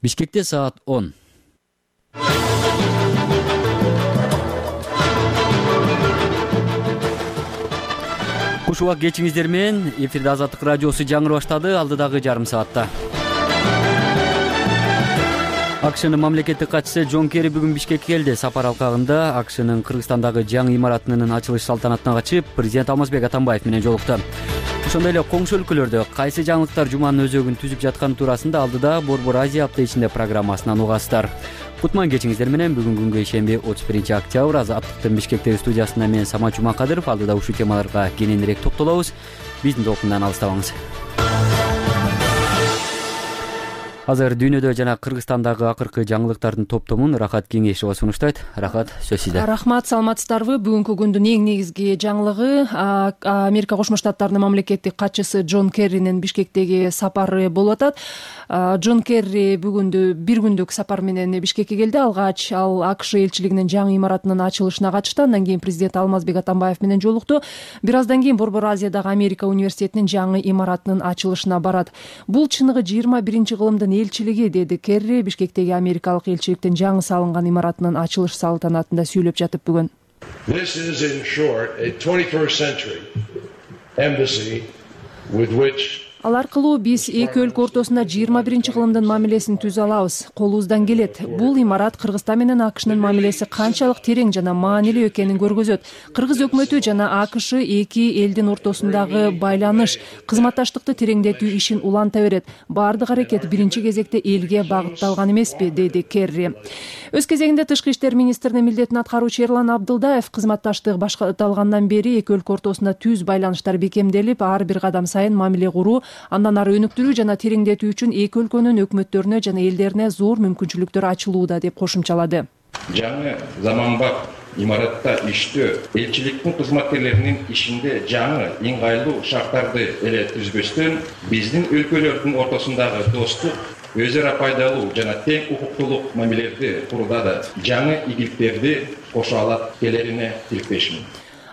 Бишкекте саат 10. Куш убак кечиңиздер менен эфирде Азаттык радиосу жаңыры баштады алдыдагы жарым саатта. АКШнын мамлекеттик катчысы Джон Керри бүгүн Бишкекке келди. Сапар алкагында АКШнын Кыргызстандагы жаңы имаратынын ачылыш салтанатына катышып, президент Алмазбек Атамбаев менен жолукту. Ошондой эле коңшу өлкөлөрдө кайсы жаңылыктар жуманын өзөгүн түзүп жатканы туурасында алдыда Борбор Азия апта ичинде программасынан угасыздар. Кутман кечиңиздер менен бүгүн күнгө ишемби 31-октябрь Азаттыктын Бишкектеги студиясында мен Самат Жумакадыров алдыда ушул темаларга кененирээк токтолобуз. Биздин толкундан алыстабаңыз. Азыр дүйнөдө жана Кыргызстандагы акыркы жаңылыктардын топтомун Рахат Кеңешова сунуштайт. Рахат, сөз сизде. Рахмат, саламатсыздарбы? Бүгүнкү күндүн эң негизги жаңылыгы Америка Кошмо Штаттарынын мамлекеттик катчысы Джон Керринин Бишкектеги сапары болуп атат. Джон Керри бүгүндү бир күндүк сапар менен Бишкекке келди. Алгач ал АКШ элчилигинин жаңы имаратынын ачылышына катышты. Андан кийин президент Алмазбек Атамбаев менен жолукту. Бир аздан кийин Борбор Азиядагы Америка университетинин жаңы имаратынын ачылышына барат. Бул чыныгы 21 кылымдын элчилиги, деди Керри Бишкектеги америкалык элчиликтин жаңы салынган имаратынын ачылыш салтанатында сүйлөп жатып бүгүн. This is in short a 21st century embassy with which Ал аркылуу биз эки өлкө ортосунда 21 кылымдын мамилесин түзө алабыз. Колубуздан келет. Бул имарат Кыргызстан менен АКШнын мамилеси канчалык терең жана маанилүү экенин көргөзөт. Кыргыз өкмөтү жана АКШ эки элдин ортосундагы байланыш, кызматташтыкты тереңдетүү ишин уланта берет. Баардык аракет биринчи кезекте элге багытталган эмеспи, деди Керри. Өз кезегинде Тышкы иштер министринин милдетин аткаруучу Эрлан Абдылдаев кызматташтык башталгандан бери эки өлкө ортосунда түз байланыштар бекемделип, ар бир кадам сайын мамиле куруу, андан ары өнүктүрүү жана тереңдетүү үчүн эки өлкөнүн өкмөттөрүнө жана элдерине зор мүмкүнчүлүктөр ачылууда деп кошумчалады. Жаңы заманбап имаратта иштөө элчиликтин кызматкерлеринин ишинде жаңы ыңгайлуу шарттарды эле түзбөстөн биздин өлкөлөрдүн ортосундагы достук, өзү ара пайдалуу жана тең укуктуулук мамилелерди курууда да жаңы ийгиликтерди кошо алат келерине тилектешмин.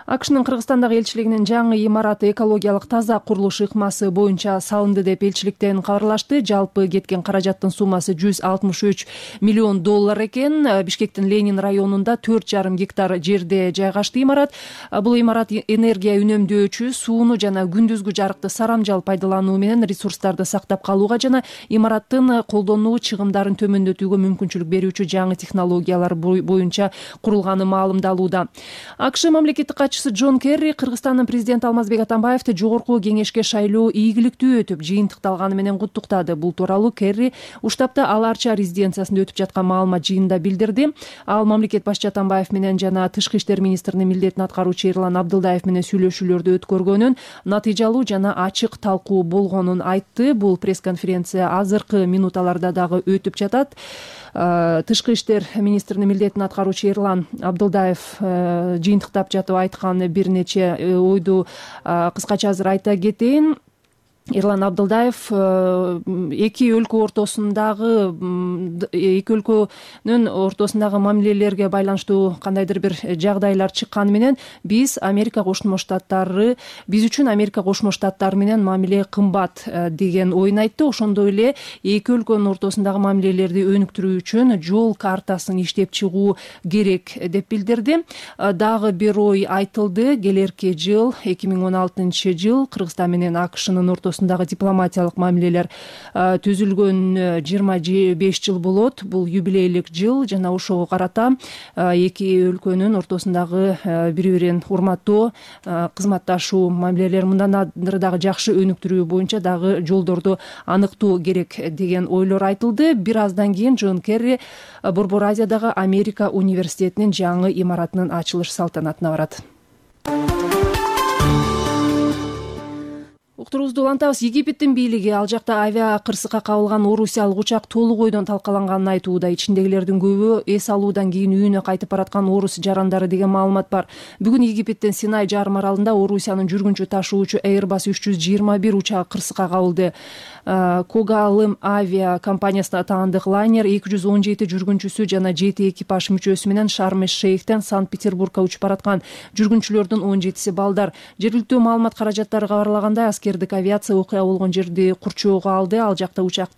АКШнын Кыргызстандагы элчилигинин жаңы имараты экологиялык таза курулуш ыкмасы боюнча салынды деп элчиликтен кабарлашты. Жалпы кеткен каражаттын суммасы $163 миллион экен. Бишкектин Ленин районунда 4,5 гектар жерде жайгашты имарат. Бул имарат энергия үнөмдөөчү, сууну жана күндүзгү жарыкты сарамжал пайдалануу менен ресурстарды сактап калууга жана имараттын колдонуу чыгымдарын төмөндөтүүгө мүмкүнчүлүк берүүчү жаңы технологиялар боюнча курулганы маалымдалууда. АКШ мамлекеттик катчысы Джон Керри Кыргызстандын президенти Алмазбек Атамбаевди жогорку кеңешке шайлоо ийгиликтүү өтүп, жыйынтыкталганы менен куттуктады. Бул тууралуу Керри Уштапта Аларча резиденциясында өтүп жаткан маалымат жыйынында билдирди. Ал мамлекет башчы Атамбаев менен жана Тышкы иштер министринин милдетин аткаруучу Эрлан Абдылдаев менен сүйлөшүүлөрдү өткөргөнүн, натыйжалуу жана ачык талкуу болгонун айтты. Бул пресс-конференция азыркы минуталарда дагы өтүп жатат. Тышкы иштер министринин милдетин аткаруучу Эрлан Абдылдаев жыйынтыктап жатып айткан бир нече ойду кыскача азыр айта кетейин. Эрлан Абдылдаев эки өлкөнүн ортосундагы мамилелерге байланыштуу кандайдыр бир жагдайлар чыкканы менен биз үчүн Америка Кошмо Штаттары менен мамиле кымбат деген оюн айтты. Ошондой эле эки өлкөнүн ортосундагы мамилелерди өнүктүрүү үчүн жол картасын иштеп чыгуу керек деп билдирди. Дагы бир ой айтылды. Келерки жыл 2016 Кыргызстан менен АКШнын ортосундагы дипломатиялык мамилелер түзүлгөн 25 жыл болот. Бул юбилейлик жыл жана ошого карата эки өлкөнүн ортосундагы бири-бирин урматтоо, кызматташуу мамилелер мындан ары дагы жакшы өнүктүрүү боюнча дагы жолдорду аныктоо керек деген ойлор айтылды. Бир аздан кийин Джон Керри Борбор Азиядагы Америка университетинин жаңы имаратынын ачылыш салтанатына барат. Уктуруубузду улантабыз. Египеттин бийлиги ал жакта авиа кырсыкка кабылган орусиялык учак толук ойдон талкаланганын айтууда. Ичиндегилердин көбү эс алуудан кийин үйүнө кайтып бараткан орус жарандары деген маалымат бар. Бүгүн Египеттин Синай жарым аралында Орусиянын жүргүнчү ташуучу Airbus 321 учагы кырсыкка кабылды. Когалым авиа компаниясына таандык лайнер 217 жүргүнчүсү жана 7 экипаж мүчөсү менен Шарм-эш-Шейхтен Санкт-Петербургка учуп бараткан. Жүргүнчүлөрдүн 17си балдар. Жергиликтүү маалымат каражаттары кабарлагандай, аскердик авиация окуя болгон жерди курчоого алды. Ал жакта учактын